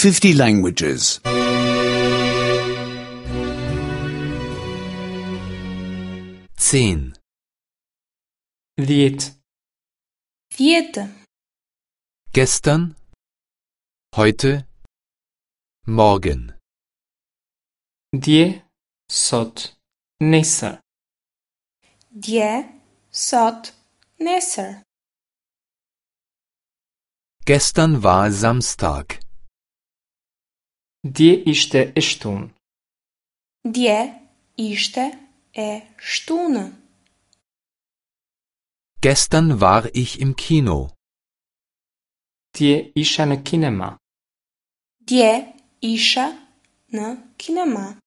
50 languages. 10. 10. 10. Gestern, heute, morgen. Dje, sot, nesër. Dje, sot, nesër. Gestern war Samstag. Dje ishte e shtunë. Dje ishte e shtunë. Gestern war ich im Kino. Dje isha në kinema. Dje isha në kinema.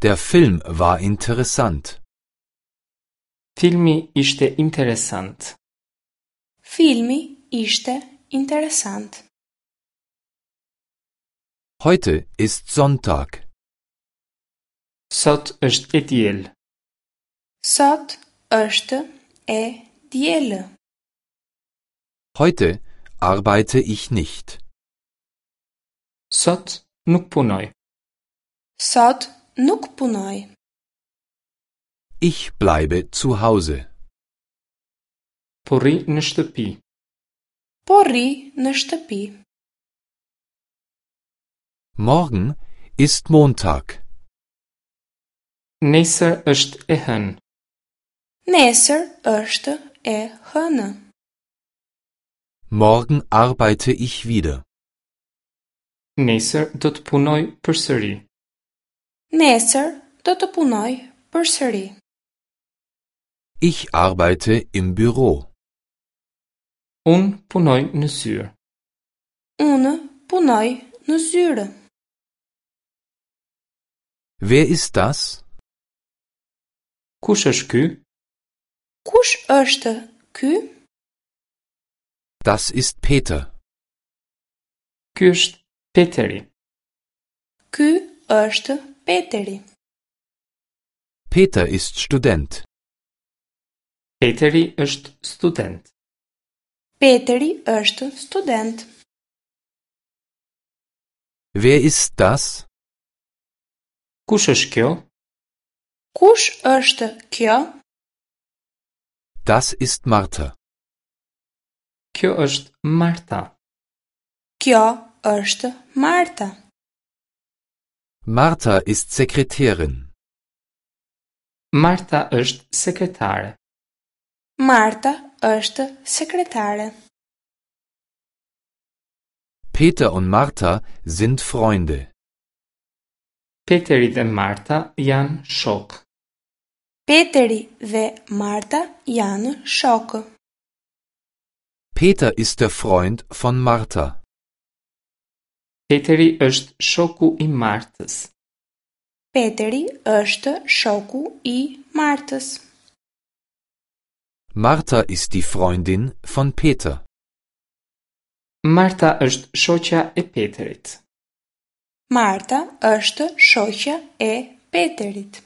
Der Film war interessant. Filmi ishte interesant. Filmi ishte interesant. Heute ist Sonntag. Sot është e diel. Sot është e diel. Heute arbeite ich nicht. Sot nuk punoj. Sot nuk punoj. Ich bleibe zu Hause. Po rri në shtëpi. Po rri në shtëpi. Morgen ist Montag. Nesër është e hënë. Nesër është e hënë. Morgen arbeite ich wieder. Nesër do të punoj përsëri. Nesër do të punoj përsëri. Ich arbeite im Büro. Unë punoj në zyrë. Unë punoj në zyrë. Wer ist das? Kush është ky? Kush është ky? Das ist Peter. Ky është Peteri. Ky është Peteri. Peter ist Student. Peteri është student. Peteri është student. Wer ist das? Kush është kjo? Kush është kjo? Das ist Martha. Kjo është Marta. Kjo është Marta. Martha ist Sekretärin. Marta është sekretare. Marta është sekretare. Peter und Martha sind Freunde. Peteri dhe Marta janë shok. Peteri dhe Marta janë shokë. Peter ist der Freund von Martha. Peteri është shoku i Martës. Peteri është shoku i Martës. Martha ist die Freundin von Peter. Marta është shoqja e Peterit. Marta është shoqja e Peterit.